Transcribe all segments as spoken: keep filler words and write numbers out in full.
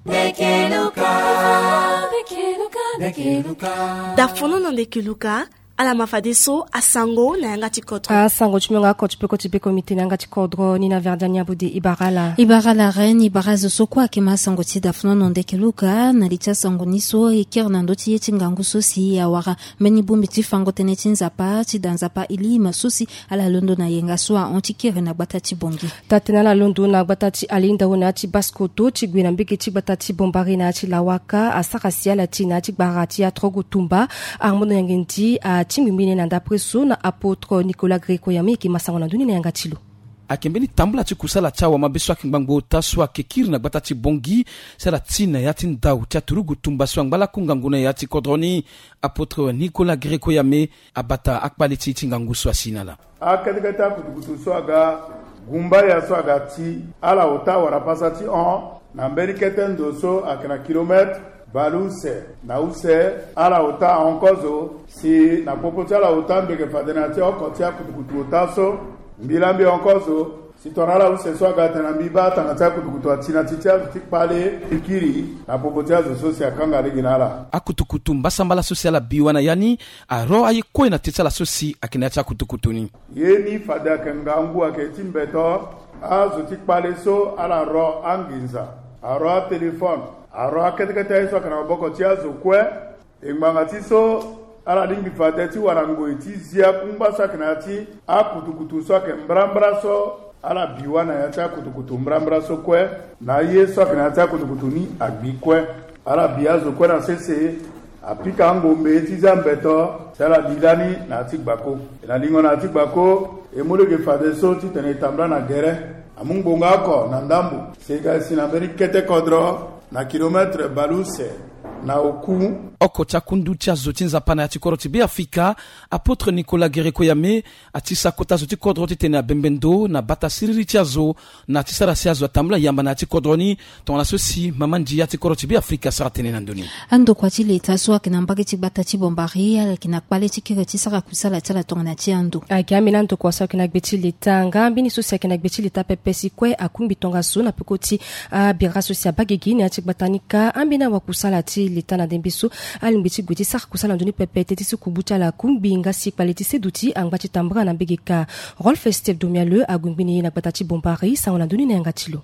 Ndeke Luka. Ndeke Luka, ndeke Luka. Dafono na ndeke Luka. Ala ma fadeso asango na yanga ti kodro. Asango ti mungo oko ti peko ti beko mite na yanga ti kodro ni na Verdian Nyabode. Ibara ala. Ibara ala Reine, ibara azo so kue ayeke ma asango ti dafono na ndeke Luka. Na li ti asango ni so e kiri na ndö ti ye ti ngangu so si awara mbeni bongbi ti fango tënë ti Nzapa ti da Nzapa Elim so si ala londo na yenga so ahon ti kiri na gbata ti Bangui. Taa-tënë ala londo na gbata ti Alinda, na ya ti basi koto ti gue na mbege ti gbata ti Bombari na ya ti Lawaka asara si ala ti na ya ti gbara ti atrogo tumba. Armand Nyangendi atingbi mbeni na ndapre so na apôtre Nicolas Greco Yame, e yeke ma sango na ndö ni na yanga ti lo. Ayeke mbeni tambula ti kusala ti awamabe so ayeke ngbangbo ota so ayeke kiri na gbata ti Bangui si ala ti na ya ti ndau ti aturugu tumba so angba lakue ngangu na ya ti kodro ni. Apôtre Nicolas Greco Yame abata akpale ti e ti ngangu so asi na ala. Akete kete akutukutu so aga gumbaya so aga ti ala ota wara pasa ti hon na mbeni kete ndo so ayeke na kilomètre baleuse na use. Ala ota ahon kozo si na popo ti ala ota mbi yeke fade na ya ti oko ti akutukutu ota so. Mbi laa mbi hon kozo si tongana ala use so aga tene na mbi baa tanga ti akutukutu ati na ti ti azo ti kpale ti kiri na popo ti azo so si akanga lege na ala. Akutukutu mbasambala so si ala bi wa na ya ni aro aye kue na te ti ala so si ayeke na ya ti akutukutu ni. Ye ni fade ayeke ngangu ayeke ti mbeto. Azo ti kpale so ala ro anginza, aro atelefone, aro akete kete aye so ayeke na maboko ti azo kue. E ngbanga ti so ala lingbi fade ti wara ngoi ti zia kungba so ayeke na ya ti akutukutu so ayeke mbrambra so. Ala bi wa na ya ti akutukutu mbrambra so kue na aye so ayeke na ya ti akutukutu ni agbi kue. Ala bi azo kue na sese apika angombe ti zia mbeto si ala li lani na ya ti gbako. E na lingo na ya ti gbako e mu lege fadeso titene e tambula na gere. Amu ngbonga oko na ndambo si e ga e si na mbeni kete kodro na kilomètre baleuse na oku. Oko ti akundu ti azo ti Nzapa na ya ti kodro ti Beafrika, apôtre Nicolas Greco Yame, ati sa kota zo ti kodro titene abembe ndo na bata siriri ti azo na ti sara si azo atambula yamba na ya ti kodro ni. Tongana so si mama ndia ti kodro ti Beafrika asara tënë na ndö ni. Andokua ti leta so ayeke na mbage ti gbata ti Bombari ala yeke na kpale ti kiri ti sara kusala ti ala tongana ti ando. Ayeke ambeni andokua so ayeke na gbe ti leta nga ambeni so si ayeke na gbe ti leta pepe si kue akungbi tongaso na peko ti abira so si abaa gigi na ya ti gbata ni kâ. Ambeni awakusala ti leta na ndembe so alingbi ti gue ti sara kusala na ndö ni pepe teti si kubu ti ala akungbi nga si kpale ti seduti angba ti tambula na mbege kâ. Rolf Steve Domialeux ague ngbene ye na gbata ti Bombari, sango na ndö ni na yanga ti lo.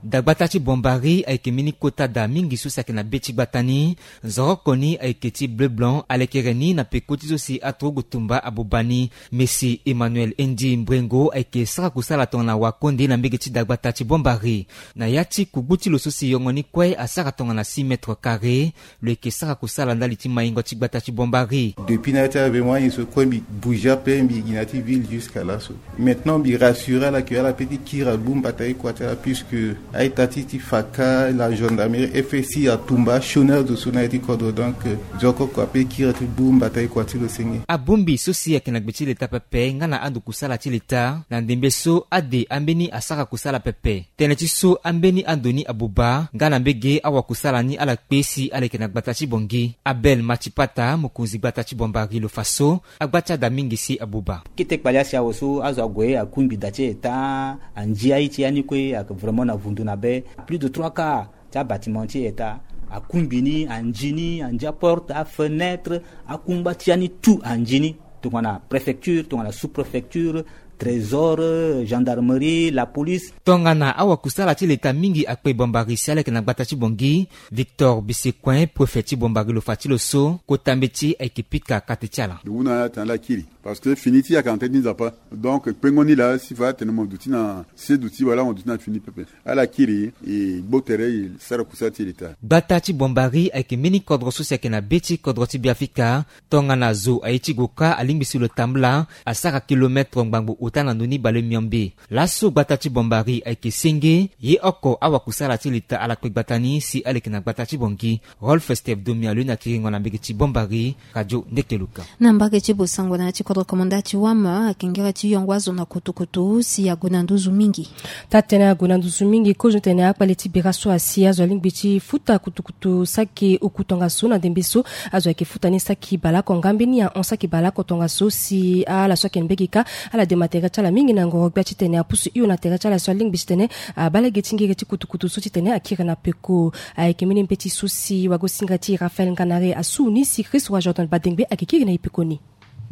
Dagbata ti Bombari ayeke mbeni kota daa mingi so si ayeke na be ti gbata ni. Nzoroko ni ayeke ti bleu blanc, alekere ni na peko ti so si aturugu tumba abuba ni. Messie Emmanuel Endi Mbrengo ayeke sara kusala tongana wakonde na mbege ti dagbata ti Bombari. Na ya ti kugbu ti lo so si yongo ni kue asara tongana six mètres carrés. Lo yeke sara kusala ndali ti maingo ti gbata ti Bombari. Depuis na ya ti avemo aye so kue mbi bouge ape, mbi gi na ya ti ville jusqu'à laso. Maintenant mbi rassurer ala que ala peut ti kiri agbu mbata ye kua ti ala, puisque a-ita ti ti faka la gendarmerie, F S I atumba achôner zo so na ya ti kodro. Donc, euh, nzokoko ape kiri ti gbu mbata ye kua ti lo senge. Abongbi so si ayeke na gbe ti leta pepe nga na ando kusala ti leta na ndembe so ade ambeni asara kusala pepe. Tënë ti so ambeni ando ni abuba nga na mbege awakusala ni ala kpe si ala yeke na gbata ti Bangui. Abel Matipata, mokonzi gbata ti Bombari, lo fa so agba ti ada mingi si abuba. Kete kpale asi awe so azo ague akungbi da ti eta, andia ye ti ya ni kue ayeke vraiment na vundu na be. Plus de trois quarts ti abâtiment ti eta akungbi ni, andia ni, andia porte, afenêtre, akungba ti ya ni tout andia ni. Tongana préfecture, tongana sous-préfecture, trésor, gendarmerie, la police. Tongana awakusala ti leta mingi akpe Bombari si ala yeke na gbata ti Bangui. Victor Bisecoin, préfet ti Bombari, lo fa ti lo so kota mbeti ayeke pika kate ti ala. Lo mu na ala atene ala kiri, parce que fini ti yaka na tënë ti Nzapa. Donc kpengo ni laa si fa atene mo duti na seduti wala mo duti na fini pepe. Ala kiri e gbo tere e sara kusala ti leta. Gbata ti Bombari ayeke mbeni kodro so si ayeke na be ti kodro ti Beafrika. Tongana zo aye ti gue kâ alingbi si lo tambula asara kilomètre ngbangbo ota na ndö ni bale miombe. Laso gbata ti Bombari ayeke senge, ye oko awakusala ti leta ala kpe gbata ni si ala yeke na gbata ti Bangui. Rolf Steve Domialeux na kiringo na mbege ti Bombari, Radio Ndeke Luka. Na mbage ti Bosango na ya ti Recommanda ti wama akengere ti yongo azo na kutukutu si ague na nduzu mingi. Taa tene ague na nduzu mingi kozo tene akpale ti bira so asi azo alingbi ti futa kutukutu saki oku tongaso na ndembe so. Azo ayeke futa ni saki baleoko nga mbeni ahon saki baleoko tongaso si ala so ayeke na mbege kâ ala dema tere ti ala mingi na ngoro gbia titene apusu hio na tere ti ala so alingbi titene abaa lege ti ngiri ti kutukutu so titene akiri na peko. Ayeke mbeni mbeti so si wagosinga ti Raphaël Nganare asu ni si Christ wa Jordan Badengbe ayeke kiri na e peko ni.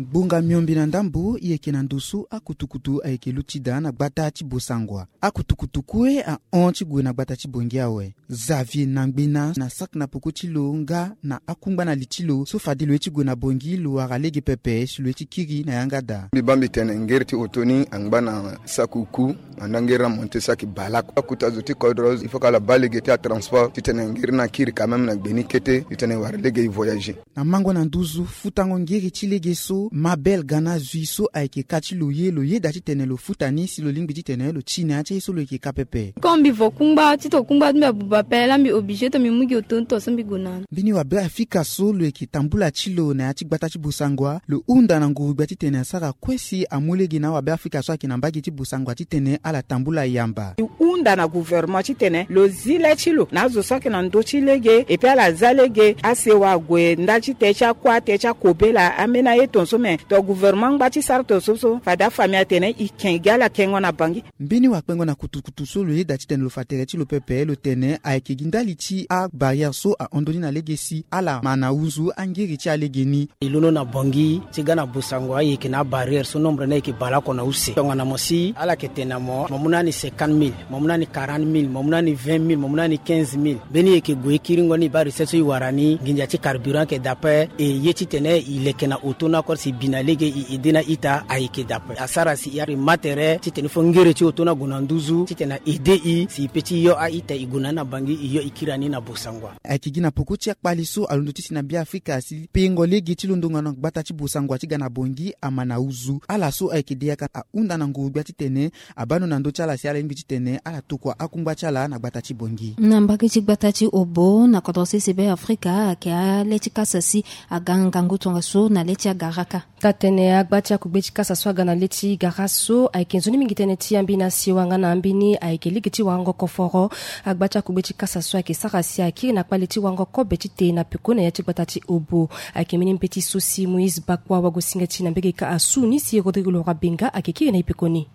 Ngbonga miombe na ndambo e yeke na ndo so akutukutu ayeke luti daa na gbata ti Bossangoa. Akutukutu kue ahon ti gue na gbata ti Bangui awe. Xavier Nangbena na saki na peko ti lo nga na akungba na li ti lo so fade lo ye ti gue na Bangui lo wara lege pepe si lo ye ti kiri na yanga daa. Mbi baa mbi tene ngeri ti oto ni angba na saki oku, andaa ngeri na monte saki baleoko. Akuta zo ti kodro il faut que ala baa lege ti atransport titene ngeri ni akiri quand même na gbe ni kete titene e wara lege e voyager. Na mango na nduzu futango ngiri ti lege so, Mabel Gana Zui so ayeke ka ti lo ye, lo yeda titene lo futa ni si lo lingbi titene lo ti na ya ti aye so lo yeke ka pepe. Comme mbi vo kungba, titene kungba ti mbi abuba ape, laa mbi obligé titene mbi mu gi oto ni to so mbi gue na ni. Mbeni wabe Afrika so lo yeke tambula ti lo na ya ti gbata ti Bossangoa, lo hunda na nguru gbia titene asara kue si amu lege na awabe Afrika so ayeke na mbage ti Bossangoa titene ala tambula yamba. Lo hunda na gouvernement titene lo zi le ti lo na azo so ayeke na ndö ti lege, epui ala za lege asewa ague ndali ti te ti akua, te ti akobela, ambeni aye tongaso me. To gouvernement angba ti sara tongaso so fade afamille atene e ken gi ala kengo na Bangui. Mbeni wakpengo na kutukutu so lo yeda titene lo fa tere ti lo pepe, lo tene ayeke gi ndali ti abarrière so ahon ndo ni na lege si ala ma na hunzu angiri ti alege ni. E londo na Bangui ti ga na Bossangoa, e yeke na abarrière so nombre ni ayeke baleoko na use. Tongana mo si ala yeke tene na mo, mo mu na ni cinquante mille, mo mu na ni quarante mille, mo mu na ni vingt mille, mo mu na ni quinze mille. Mbeni e yeke gue e kiringo ni, e baa recette so e wara ni, nginza ti carburant ayeke daa ape. E ye titene e leke na oto ni akore si e bi na lege, e aide na a-ita ayeke daa ape. Asara si e ma tere titene fo ngere ti oto ni ague na nduzu titene a aide e si e pe ti yo a-ita, e gue na ni na Bangui, e yo e kiri na ni na Bossangoa. Ayeke gi na peko ti akpale so alondo ti si na Beafrika si pengo lege ti londongo na gbata ti Bossangoa ti ga na Bangui ama na huzu. Ala so ayeke de yaka ahunda na nguru gbia titene abaa ndo na ndö ti ala si ala lingbi titene ala tokua akungba ti ala na gbata ti Bangui. Na mbage ti gbata ti Obo na kodro sese Beafrika ayeke ale ti kasa si aga ngangu tongaso na le ti agara kâ. Taa tene agba ti akugbe ti kasa so aga na le ti gara so ayeke nzoni mingi tënë ti ambeni asewa nga na ambeni ayeke lege ti warango koforo. Agba ti akugbe ti kasa so ayeke sara si akiri na kpale ti warango kobe ti te na peko na ya ti gbata ti Obo. Ayeke mbeni mbeti so si Moïse Bakwa wagosinga ti na mbege kâ asu ni si Rodrigue Laurent Benga ayeke kiri na e peko ni.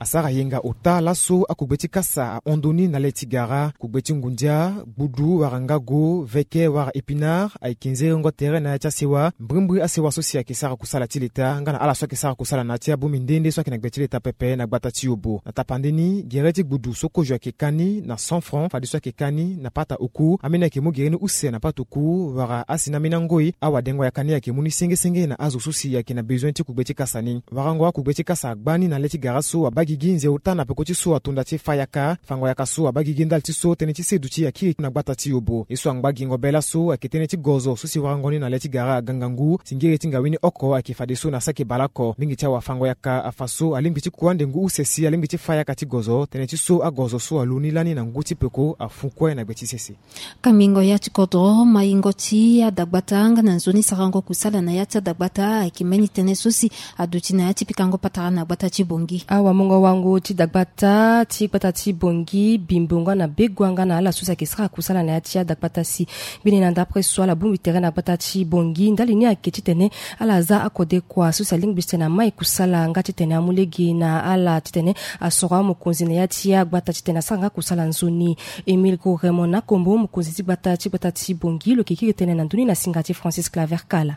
Asara yenga ota laso akugbe ti kasa ahon ndo ni na le ti gara, kugbe ti ngundia, gbudu wala ngago, veke wala épinard, ayeke nzerengo tere na ya ti asewa. Mbrimbri asewa so si ayeke sara kusala ti leta nga na ala so ayeke sara kusala na ya ti abongbi nde nde so ayeke na gbe ti leta pepe na gbata ti Obo. Na tapande ni, gere ti gbudu so kozo ayeke ka ni na cent francs, fadeso ayeke ka ni na pata oku. Ambeni ayeke mu gere ni use na pata oku wala asi na ambeni angoi. Awadengo yaka ni ayeke mu ni senge senge na azo so si ayeke na bezoin ti kugbe ti kasa ni. Warango akugbe ti kasa agba ni na le ti gara so abaa gigi nze ota na peko ti so atonda ti fa yaka. Fango yaka so abaa gigi ndali ti so tënë ti seduti akiri na gbata ti Obo. Ye so angba gingo be laso ayeke tënë ti gozo so si warango ni na le ti gara aga ngangu si ngere ti ngawe ni oko ayeke fadeso na saki baleoko. Mingi ti awafango yaka afa so alingbi ti kua ndengu use si alingbi ti fa yaka ti gozo, tënë ti so agozo so alo ni lani na ngu ti peko afu kue na gbe ti sese. Kambingo ya ti kodro, maingo ti adagbata nga na nzoni sarango kusala na ya ti adagbata ayeke mbeni tënë so si aduti na ya ti pikango patara na gbata ti Bangui. Awamungo wango ti dagbata ti gbata ti Bangui, Bimbo nga na Begua nga na ala so si ayeke sara kusala na ya ti adagbata si. Mbeni na ndapre so ala bongbi tere na gbata ti Bangui ndali ni ayeke titene ala za akodekua so si alingbi titene amai kusala nga titene amu lege na ala titene asoro amokonzi na ya ti agbata titene asara nga kusala nzoni. Émile Gros Raymond Nakombo, mokonzi ti gbata ti gbata ti Bangui, lo yeke kiri tënë na ndö ni na singa ti Francis Claver Kala.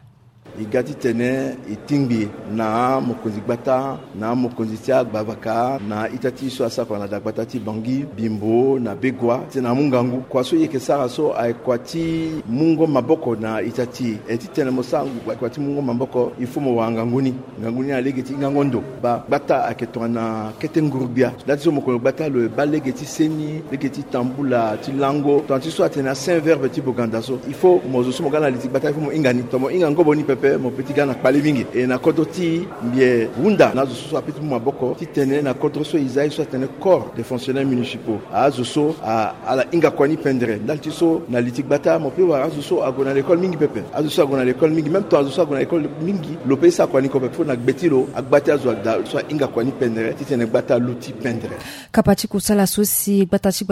E ga titene e tingbi na amokonzi gbata, na amokonzi ti agbavaka, na a-ita ti e so asara kua na dagbata ti Bangui, Bimbo na Begua, titene amu ngangu. Kua so e yeke sara so ayeke kua ti mungo maboko na a-ita ti e. E titene mo sara ngu kua ti mungo maboko, il faut mo wara ngangu ni. Ngangu ni na lege ti ngango ndo. Baa gbata ayeke tongana kete nguru-gbia. Nda ti so mo kongo gbata lo e baa lege ti seni, lege ti tambula, ti lango. Tongana ti so atene asin verbe ti Boganda so, il faut mo zo so mo ga na li ti gbata, il faut mo hinga ni. Tongana mo hinga ngobo ni pepe, Mo pe ti ga na kpale mingi e na kodro ti mbi e hunda na azo so so ape ti mu maboko titene na kodro so e za ye so atene corps des fonctionnaires municipaux, azo so ala hinga kua ni pendere ndali ti so na li ti gbata mo pe wara azo so ague na lekole mingi pepe. Azo so ague na lekole mingi même temps azo so ague na lekole mingi lo pe ye so akua ni ko pepe fo na gbe ti lo agba ti azo ada so ahinga kua ni pendere titene gbata aluti pendere. Kapa ti kusala so si gbata ti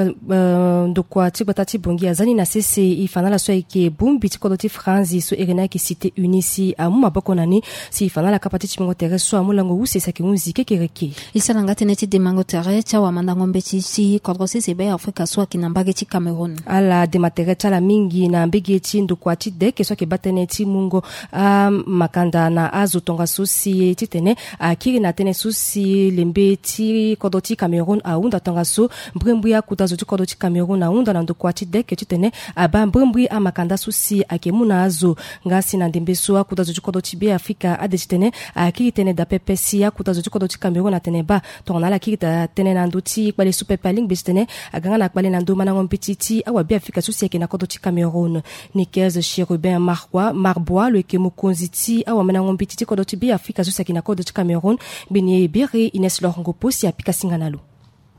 ndokua ti gbata ti bongi aza ni na sese e fa na ala so ayeke bongbi ti kodro ti franzi so ere ni ayeke cité uni si amu maboko na ni. Si e fa na ala kapa ti timbingo tere so amu lango use si ayeke hunzi kekereke. E sara nga tënë ti demango tere ti awamandango mbeti ti kodro sese be afrika so ayeke na mbage ti cameroun. Ala dema tere ti ala mingi na mbege ti ndokua ti deke so ayeke baa tënë ti mungo amakanda na azo tongaso si titene akiri na tënë so si lembe ti kodro ti cameroun ahunda tongaso. Mbrimbri akuta zo ti kodro ti cameroun ahunda na ndokua ti deke titene abaa mbrimbri amakanda so si ayeke mu na azo. Nga si na ndembe so akuta zo ti kodro ti be afrika ade titene akiri tënë daa pepe si akuta zo ti kodro ti cameroun atene baa tongana ala kiri daa tënë na ndö ti kpale so pepe alingbi titene aga nga na kpale na ndö mandango mbeti ti awabe afrika so si ayeke na kodro ti cameroun. Nikez chérubin marbois lo yeke mokonzi ti awamandango mbeti ti kodro ti be afrika so si ayeke na kodro ti cameroun. Mbeni e biri ines lor ngopo si apika singa na lo.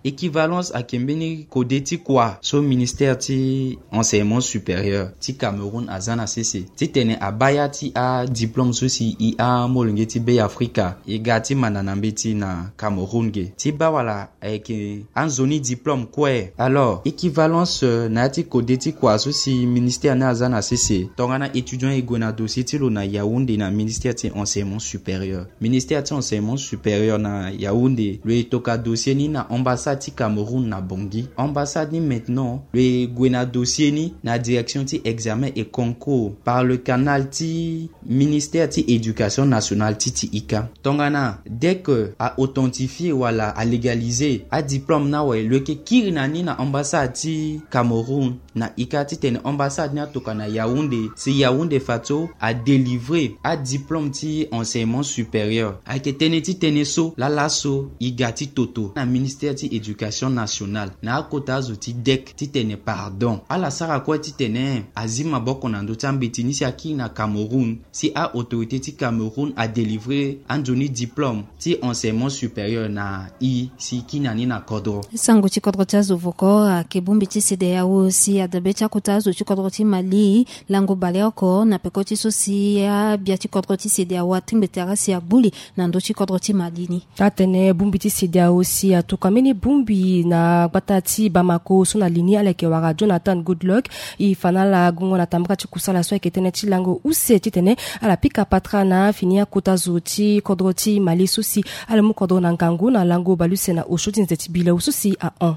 Équivalence ayeke mbeni kode ti kua so ministère ti enseignement supérieur ti cameroun aza na sese titene abaa ya ti adiplôme so si e amolenge ti be afrika e ga ti manda na mbeti na cameroun ge ti baa wala ayeke anzoni diplôme kue. Alors équivalence na ya ti kode ti kua so si ministère ni aza na sese tongana étudiant e gue na dossier ti lo na yaounde na ministère ti enseignement supérieur. Ministère ti enseignement supérieur na yaounde lo e toka dossier ni na ambassade ti cameroun na bongi. Ambassade ni maintenant lo e gue na dossier ni na direction ti examen et concours par le canal ti ministère ti éducation nationale ti ti ika. Tongana dès que a authentifie wala a légaliser adiplôme ni awe lo yeke kiri na ni na ambassade ti cameroun na ika titene ambassade ni atoka na yaounde si yaounde fato adélivrer adiplôme ti enseignement supérieur. Ayeke tënë ti tënë so lala so e ga ti toto na ministère ti éducation nationale na akota azo ti dec titene pardon ala sara kue titene azi maboko na ndö ti ambeti ni si akiri na cameroun si a autorité ti cameroun adélivrer anzoni diplôme ti enseignement supérieur na e si e kiri na ni na kodro. Sango ti kodro ti azo voko ayeke bongbi ti cedeao si adabe ti akota azo ti kodro ti mali lango baleoko na peko ti so si abia ti kodro ti cedeao atingbi tere si agbu li na ndö ti kodro ti mali ni. Atene bongbi ti cedeao si atuka mbeni bongbi na gbata ti bamako so na li ni ala yeke wara jonathan goodluck. E fa na ala gungo na tambara ti kusala so ayeke tënë ti lango use titene ala pika patra na fini akota zo ti kodro ti mali so si ala mu kodro na ngangu na lango baleuse na osio ti nze ti bileo so si ahon.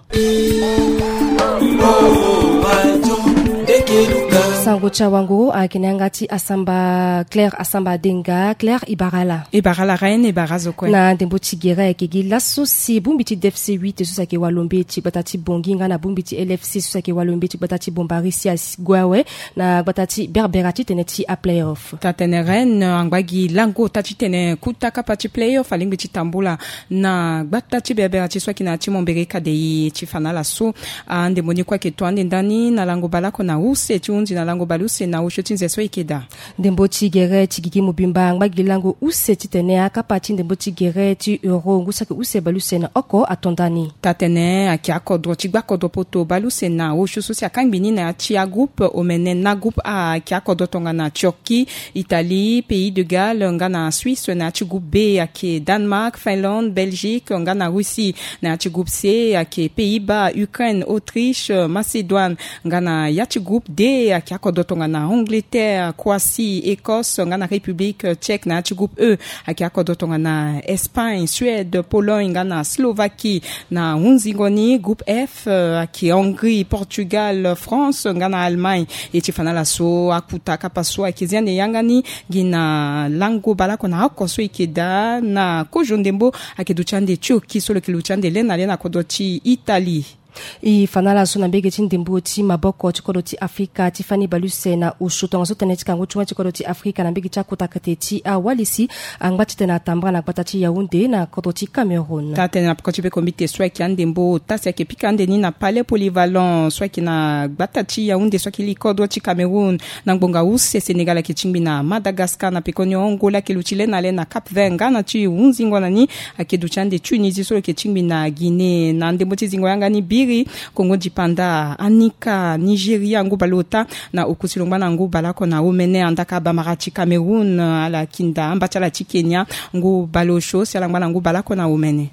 Sango ti awango ayeke na yanga ti asamba claire asamba denga claire e bara ala. E bara ala reine e bara azo kue. Na ndembo ti gere ayeke gi laso si bongbi ti dfc huit so si ayeke walombe ti gbata ti bongi nga na bongbi ti lfc so si ayeke walombe ti gbata ti bombari si ague awe na gbata ti berbera ti tene ti aplayoff. Tatene reine angba gi lango ota ti tene kuta kapa ti playoff alingbi ti tambula na gbata ti berbera ti so ayeke na ya ti mombere kadei ti fa na ala so. Andembo ni kue ayeke to ande ndani na lango baleoko na use ti hunzi na lango baleuse na osio ti nze so e yeke daa. Ndembo ti gere ti gigi mobimba angba gi lango use titene akapa ti ndembo ti gere ti euro ngu saki use baleuse na oko ato ndani. Tatene ayeke akodro ti gba kodro poto baleuse na osio so si akangbi ni na ya ti agroupe omene na groupe a ayeke akodro tongana turquie, italie, pays de galles nga na suisse. Na ya ti groupe b ayeke danemark, finlande, belgique nga na russie. Na ya ti groupe c ayeke pays-bas, ukraine, autriche, macédoine nga na ya ti groupe d ayeke akodro tongana angleterre, croatie, écosse nga na république tchèque. Na ya ti groupe e ayeke akodro tongana espagne, suède, pologne nga na slovaquie. Na hunzingo ni groupe f ayeke hongrie, portugal, france nga na allemagne. E ti fa na ala so akuta kapa so ayeke zi ande yanga ni gi na lango baleoko na oko so e yeke daa na kozo ndembo. Ayeke duti ande turquie so lo yeke luti ande le na le na kodro ti italie. E fa na ala so na mbege ti ndembo ti maboko ti kodro ti Afrika ti fani bale use na osio tongaso tënë ti kangu ti wani ti kodro ti Afrika na mbege ti akota kete ti awalisi angba titene atambara na gbata ti Yaoundé na kodro ti Cameroun. Taa tënë na peko ti peko mbite so ayeke andembo ota si ayeke pika ande ni na palais polyvalent so ayeke na gbata ti Yaoundé so ayeke li kodro ti Cameroun na ngbonga use Sénégal ayeke tingbi na Madagascar na pekoni Angola ayeke luti le na le na Cap Vert nga na ti hunzingo na ni ayeke duti ande Tunisie so lo yeke tingbi na Guinée. Na ndembo ti zingo yanga ni biri Congo dipanda anika Nigeria ngu baleota na okusi lo ngba na ngu baleoko na omene. Andaka bamara ti Cameroun ala kinda amba ti ala ti Kenya ngu baleosio si ala ngba na ngu baleoko na omene.